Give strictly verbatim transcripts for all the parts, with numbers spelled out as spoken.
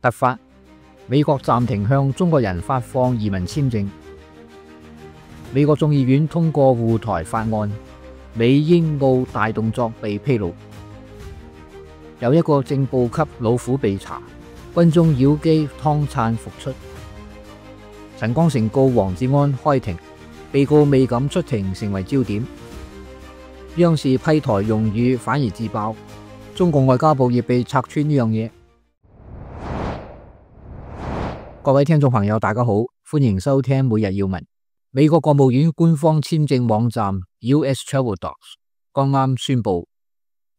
突發，美國暫停向中國人發放移民簽證。美國眾議院通過護台法案，美英澳大動作被披露。有一個正部級老虎被查，軍中妖姬湯燦復出。陳光誠告黃志安開庭，被告未敢出庭成為焦點。央視批台用語反而自爆，中共外交部亦被拆穿呢樣嘢。各位聽眾朋友大家好，歡迎收聽每日要聞。美國國務院官方簽證網站 U S Travel Docs 剛啱宣布，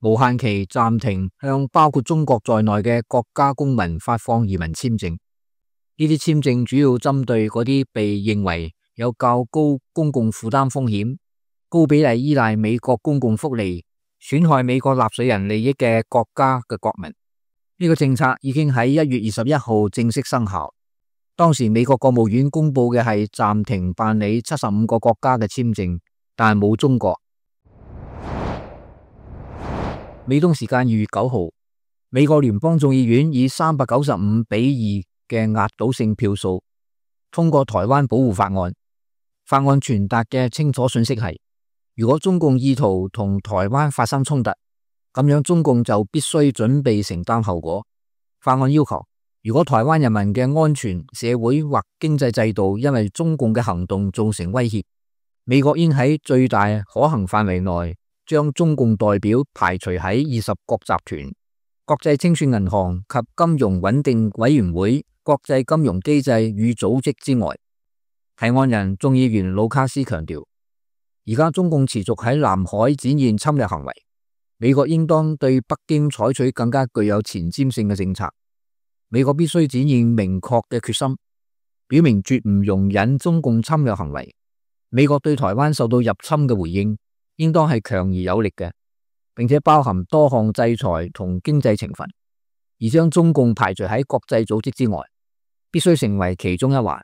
無限期暫停向包括中國在內嘅國家公民發放移民簽證。呢啲簽證主要針對嗰啲被認為有較高公共負擔風險、高比例依賴美國公共福利、損害美國納稅人利益嘅國家嘅國民。呢個政策已經喺一月二十一號正式生效。當時美國國務院公布嘅係暫停辦理七十五個國家嘅簽證，但係冇中國。美東時間二月九號，美國聯邦眾議院以三百九十五比二嘅壓倒性票數通過台灣保護法案。法案傳達嘅清楚信息係，如果中共意圖同台灣發生衝突，咁樣中共就必須準備承擔後果。法案要求，如果台灣人民嘅安全、社會或經濟制度因為中共嘅行動造成威脅，美國應喺最大可行範圍內將中共代表排除喺二十國集團、國際清算銀行及金融穩定委員會、國際金融機制與組織之外。提案人眾議員盧卡斯強調，而家中共持續喺南海展現侵略行為，美國應當對北京採取更加具有前瞻性嘅政策。美國必須展現明確嘅決心，表明絕唔容忍中共侵略行為。美國對台灣受到入侵嘅回應，應當係強而有力嘅，並且包含多項制裁同經濟懲罰，而將中共排除喺國際組織之外，必須成為其中一環。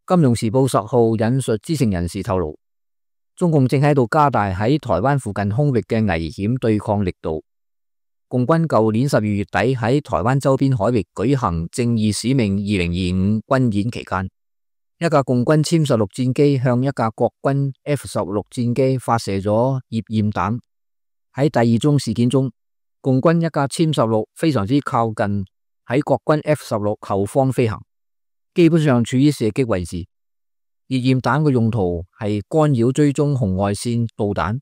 金融時報十號引述知情人士透露，中共正喺度加大喺台灣附近空域嘅危險對抗力度。共軍舊年十二月底喺台灣周邊海域舉行正義使命二零二五軍演期間，一架共軍殲十六戰機向一架國軍 F 十六戰機發射咗頁焰彈。喺第二宗事件中，共軍一架殲十六非常之靠近喺國軍 F 十六後方飛行，基本上處於射擊位置。頁焰彈嘅用途係干擾追蹤紅外線導彈。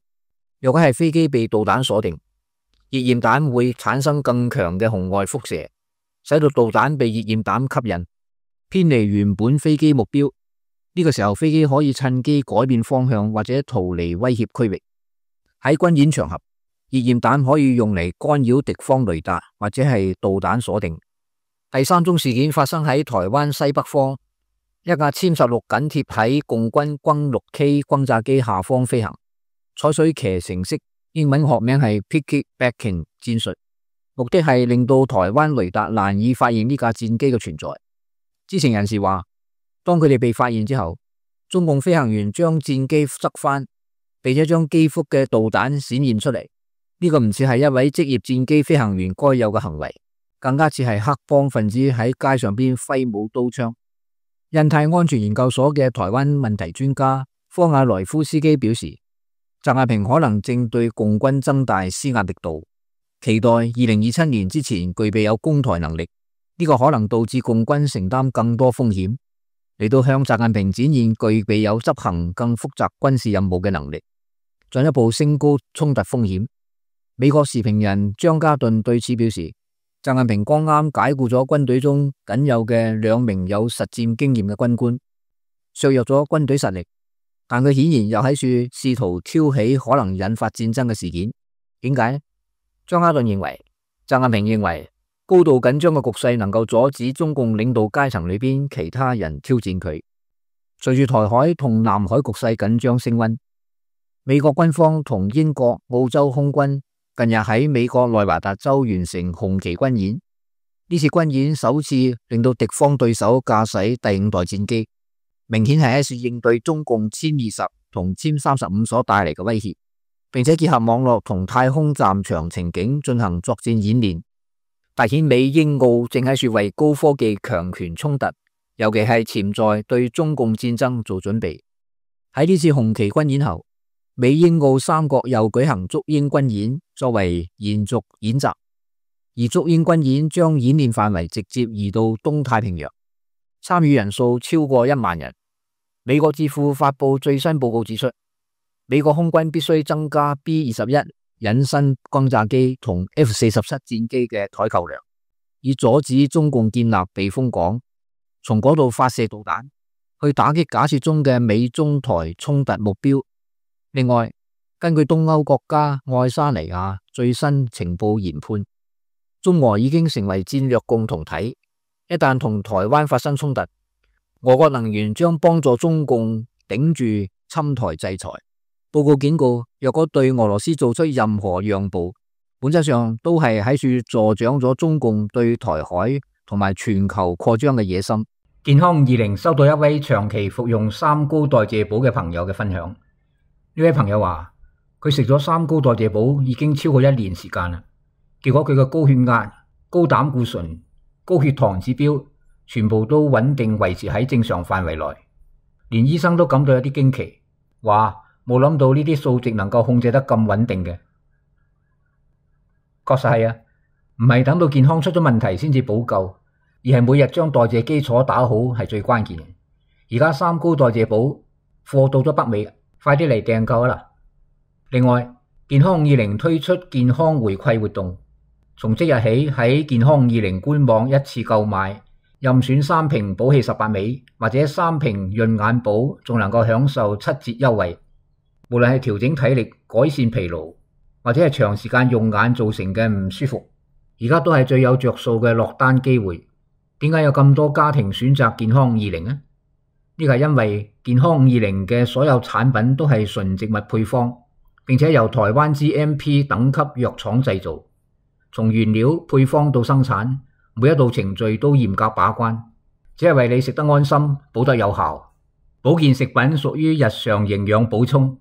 若果係飛機被導彈鎖定，頁焰彈會產生更強嘅紅外輻射，使到導彈被頁焰彈吸引，偏離原本飛機目標。呢個時候，飛機可以趁機改變方向或者逃離威脅區域。喺軍演場合，頁焰彈可以用嚟干擾敵方雷達或者係導彈鎖定。第三宗事件發生喺台灣西北方，一架殲十六緊貼喺共軍轟六 K 轟炸機下方飛行，採取騎乘式，英文學名係 Piggybacking 戰術，目的係令到台灣雷達難以發現呢架戰機嘅存在。知情人士話，當佢哋被發現之後，中共飛行員將戰機側翻，並且將機腹嘅導彈閃現出嚟。呢個唔似係一位職業戰機飛行員該有嘅行為，更加似係黑幫分子喺街上邊揮舞刀槍。印太安全研究所嘅台灣問題專家科瓦萊夫斯基表示，習近平可能正對共軍增大施壓力度，期待二零二七年之前具備有攻台能力。呢個可能導致共軍承擔更多風險，嚟到向習近平展現具備有執行更複雜軍事任務嘅能力，進一步升高衝突風險。美國時評人張家頓對此表示，習近平剛啱解僱咗軍隊中僅有嘅兩名有實戰經驗嘅軍官，削弱咗軍隊實力。但佢顯然又喺處試圖挑起可能引發戰爭嘅事件。點解？張家頓認為，習近平認為高度緊張嘅局勢能夠阻止中共領導階層裏邊其他人挑戰佢。隨住台海同南海局勢緊張升溫，美國軍方同英國、澳洲空軍近日喺美國內華達州完成紅旗軍演。呢次軍演首次令到敵方對手駕駛第五代戰機，明顯係一次應對中共殲二十同殲三十五所帶嚟嘅威脅，並且結合網絡同太空戰場情景進行作戰演練。凸顯美英澳正喺處為高科技強權衝突，尤其係潛在對中共戰爭做準備。喺呢次紅旗軍演後，美英澳三國又舉行中英軍演，作為延續演習。而中英軍演將演練範圍直接移到東太平洋，參與人數超過一萬人。美國智庫發佈最新報告指出，美國空軍必須增加 B 二十一隱身轟炸機同 F 四十七戰機嘅採購量，以阻止中共建立避風港，從嗰度發射導彈，去打擊假設中嘅美中台衝突目標。另外，根據東歐國家愛沙尼亞最新情報研判，中俄已經成為戰略共同體，一旦同台灣發生衝突，俄國能源將幫助中共頂住侵台制裁。報告警告，若果對俄羅斯做出任何讓步，本質上都係喺處助長咗中共對台海同埋全球擴張嘅野心。健康二零收到一位長期服用三高代謝寶嘅朋友嘅分享，呢位朋友話佢食咗三高代謝寶已經超過一年時間啦，結果佢嘅高血壓、高膽固醇、高血糖指標全部都穩定維持喺正常範圍內，連醫生都感到有啲驚奇，話冇諗到呢啲數值能夠控制得咁穩定嘅。確實係啊，唔係等到健康出咗問題先至補救，而係每日將代謝基礎打好係最關鍵嘅。而家三高代謝寶貨到咗北美，快啲嚟訂購啦！另外，健康二零推出健康回饋活動，從即日起喺健康二零官網一次購買，任選三瓶寶氣十八味或者三瓶潤眼寶，仲能夠享受七折優惠。無論係調整體力、改善疲勞，或者係長時間用眼造成嘅唔舒服，而家都係最有着數嘅落單機會。點解有咁多家庭選擇健康二零呢？呢個係因為健康二零嘅所有產品都係純植物配方，並且由台灣 G M P 等級藥廠製造，從原料配方到生產，每一道程序都嚴格把關，只係為你食得安心、補得有效。保健食品屬於日常營養補充，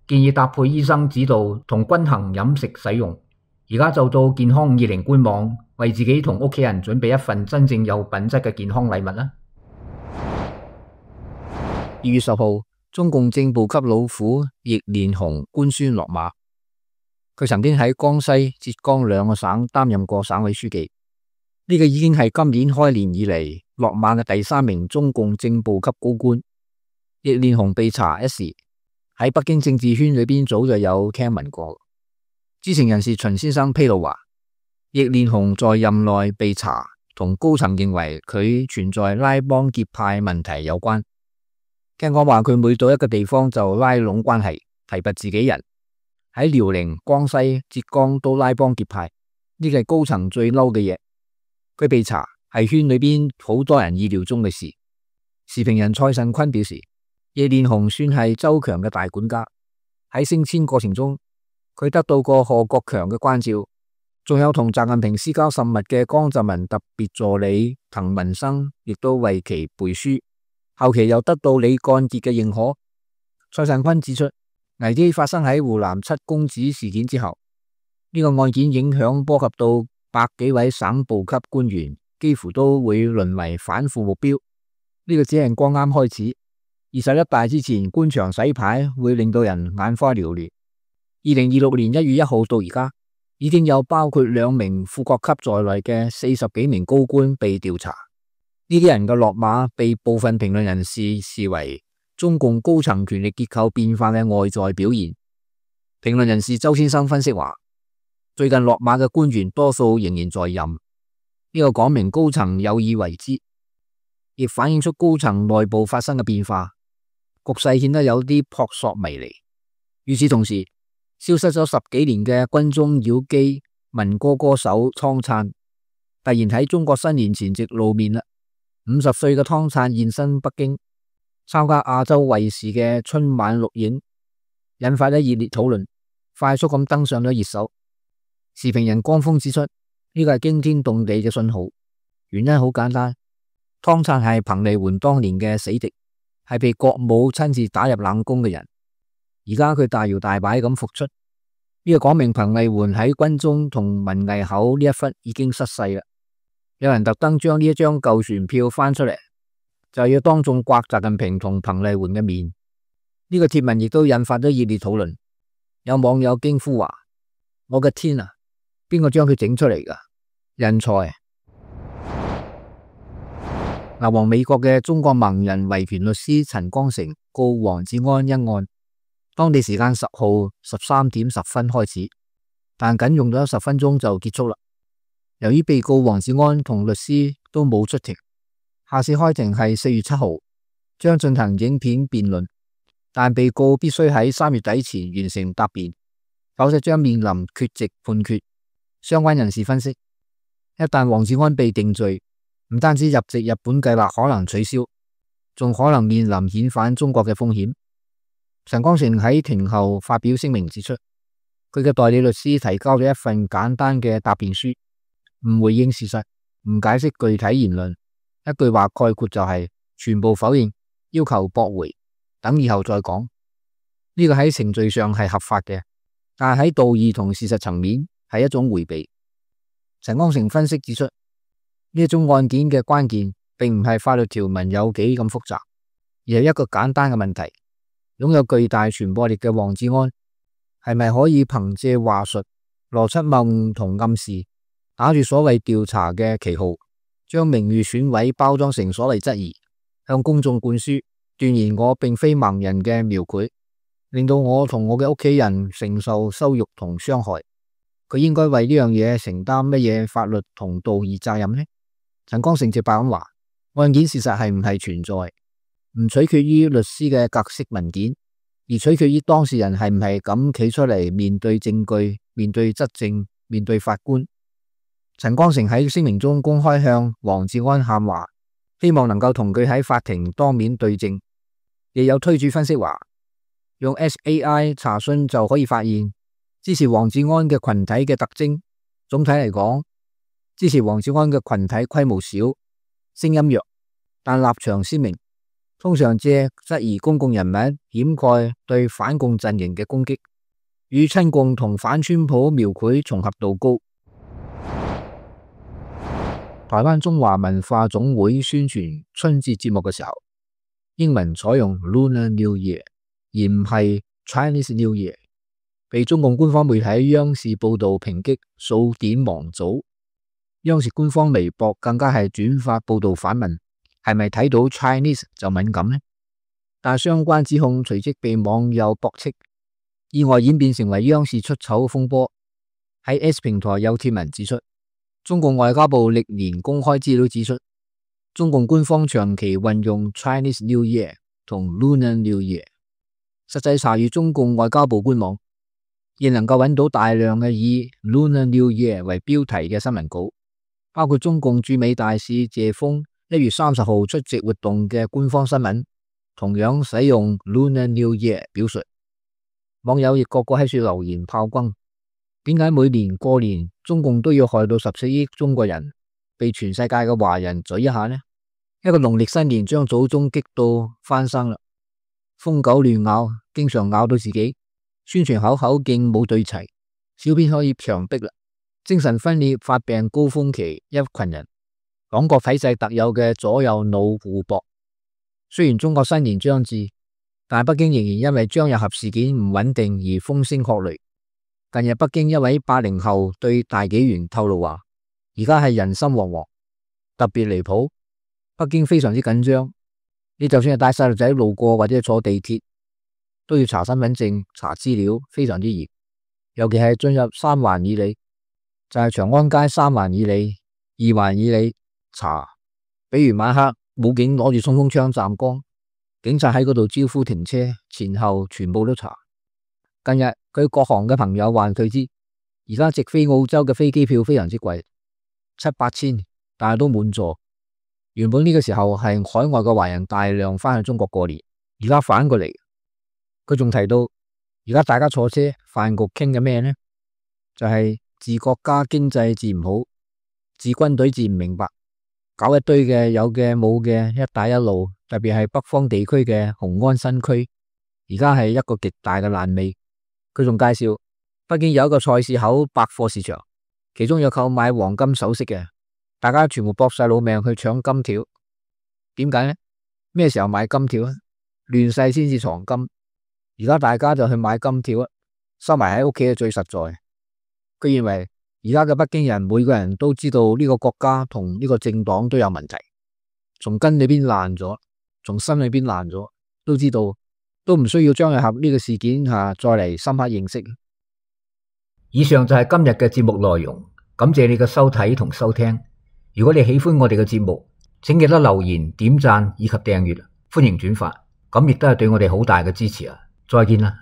建議搭配醫生指導同均衡飲食使用。而家就到健康二零官網，為自己同屋企人準備一份真正有品質嘅健康禮物啦。二月十號，中共正部級老虎易連鴻官宣落馬。佢曾經喺江西、浙江兩個省擔任過省委書記，呢個已經係今年開年以嚟落馬嘅第三名中共正部級高官。易連鴻被查一事喺北京政治圈裏邊早就有聽聞過。知情人士秦先生披露話，易連鴻在任內被查，同高層認為佢存在拉幫結派問題有關。聽講話佢每到一個地方就拉攏關係，提拔自己人，喺遼寧、江西、浙江都拉幫結派，呢個係高層最嬲嘅嘢。佢被查係圈裏邊好多人意料中嘅事。時評人蔡慎坤表示，易連鴻算係周強嘅大管家，喺升遷過程中，佢得到過賀國強嘅關照，仲有同習近平私交甚密嘅江澤民特別助理滕文生，亦都為其背書。後期又得到李幹傑嘅認可。蔡慎坤指出，危機發生喺湖南七公子事件之後，呢、這個案件影響波及到百幾位省部級官員，幾乎都會淪為反腐目標。呢、這個只係剛啱開始，二十一大之前官場洗牌會令到人眼花繚亂。二零二六年一月一號到而家，已經有包括兩名副國級在內嘅四十幾名高官被調查。呢啲人嘅落馬被部分評論人士視為中共高層權力結構變化嘅外在表現。評論人士周先生分析話，最近落馬嘅官員多數仍然在任，呢、這個講明高層有意為之，亦反映出高層內部發生嘅變化，局勢顯得有啲撲朔迷離。與此同時，消失咗十幾年嘅軍中妖姬民歌歌手湯燦，突然喺中國新年前夕露面啦。五十歲嘅湯燦現身北京，參加亞洲衛視嘅春晚錄影，引發咗熱烈討論，快速咁登上咗熱搜。時評人江峰指出，呢個係驚天動地嘅信號，原因好簡單，湯燦係彭麗媛當年嘅死敵，係被國母親自打入冷宮嘅人。而家佢大搖大擺咁復出，呢個講明彭麗媛喺軍中同文藝口呢一忽已經失勢啦。有人特登將呢一張舊船票翻出嚟，就要當眾刮習近平同彭麗媛嘅面。呢個貼文亦都引發咗熱烈討論。有網友驚呼話：我嘅天啊，邊個將佢整出嚟噶？人才！流亡美國嘅中國盲人維權律師陳光誠告黃志安一案，當地時間十號十三點十分開始，但僅用咗十分鐘就結束啦。由於被告黃志安同律師都冇出庭，下次開庭係四月七號，將進行影片辯論，但被告必須喺三月底前完成答辯，否則將面臨缺席判決。相關人士分析，一旦黃志安被定罪，唔單止入籍日本計劃可能取消，仲可能面臨遣返中國嘅風險。陳光誠喺庭後發表聲明指出，佢嘅代理律師提交咗一份簡單嘅答辯書，唔回應事實，唔解釋具體言論，一句話概括就係全部否認，要求駁回，等以後再講。呢個喺程序上係合法嘅，但係喺道義同事實層面係一種迴避。陳光誠分析指出，呢一種案件嘅關鍵並唔係法律條文有幾咁複雜，而係一個簡單嘅問題：擁有巨大傳播力嘅黃志安係咪可以憑借話術、邏輯謬誤同暗示，打住所謂調查嘅旗號，將名譽損毀包裝成所謂質疑，向公眾灌輸斷言我並非盲人嘅描繪，令到我同我嘅屋企人承受羞辱同傷害。佢應該為呢樣嘢承擔乜嘢法律同道義責任呢？陳光誠直白咁話，案件事實係唔係存在，唔取決於律師嘅格式文件，而取決於當事人係唔係咁企出嚟面對證據、面對質證、面對法官。陳光誠喺聲明中公開向黃志安喊話，希望能夠同佢喺法庭當面對證。亦有推主分析話，用 S A I 查詢就可以發現支持黃志安嘅群體嘅特徵。總體嚟講，支持黃志安嘅群體規模小，聲音弱，但立場鮮明，通常借質疑公共人物掩蓋對反共陣營嘅攻擊，與親共同反川普描繪重合度高。台灣中華文化總會宣傳春節節目嘅時候，英文採用 Lunar New Year 而唔係 Chinese New Year， 被中共官方媒體央視報道抨擊數典忘祖。央視官方微博更加係轉發報道反問，係咪睇到 Chinese 就敏感呢？但相關指控隨即被網友駁斥，意外演變成為央視出醜風波。喺 S 平台有貼文指出，中共外交部歷年公開資料指出，中共官方長期運用 Chinese New Year 同 Lunar New Year。實際查閱中共外交部官網，亦能夠揾到大量嘅以 Lunar New Year 為標題嘅新聞稿，包括中共駐美大使謝鋒一月三十號出席活動嘅官方新聞，同樣使用 Lunar New Year 表述。網友亦個個喺處留言炮轟，點解每年過年中共都要害到十四億中國人被全世界嘅華人嘴一下呢？一個農曆新年將祖宗激到翻生啦，瘋狗亂咬，經常咬到自己，宣傳口口徑冇對齊，小編可以強迫啦。精神分裂發病高峰期，一群人黨國體制特有嘅左右腦互搏。雖然中國新年將至，但北京仍然因為張日合事件唔穩定而風聲鶴唳。近日北京一位八零後對大紀元透露話，而家係人心惶惶，特別離譜。北京非常之緊張，你就算係帶細路仔路過或者坐地鐵，都要查身份證、查資料，非常之嚴。尤其係進入三環以里，就係、是、長安街三環以里、二環以里查。比如晚黑武警攞住衝鋒槍站崗，警察喺嗰度招呼停車，前後全部都查。近日佢國航嘅朋友話佢知，而家直飛澳洲嘅飛機票非常之貴，七八千，但係都滿座。原本呢個時候係海外嘅華人大量翻去中國過年，而家反過嚟。佢仲提到，而家大家坐車飯局傾嘅咩呢？就係、是、治國家經濟治唔好，治軍隊治唔明白，搞一堆嘅有嘅冇嘅一帶一路，特別係北方地區嘅雄安新區，而家係一個極大嘅爛尾。佢仲介紹北京有一個菜市口百貨市場，其中有購買黃金首飾嘅，大家全部搏晒老命去搶金條。點解呢？咩時候買金條啊？亂世先至藏金，而家大家就去買金條啊，收埋喺屋企係最實在。佢認為而家嘅北京人每個人都知道呢個國家同呢個政黨都有問題，從根裏邊爛咗，從心裏邊爛咗，都知道，都唔需要張日合呢個事件吓再嚟深刻認識。以上就係今日嘅節目內容，感謝你嘅收睇同收聽。如果你喜歡我哋嘅節目，請記得留言、點讚以及訂閱，歡迎轉發，咁亦都係對我哋好大嘅支持啊！再見啦。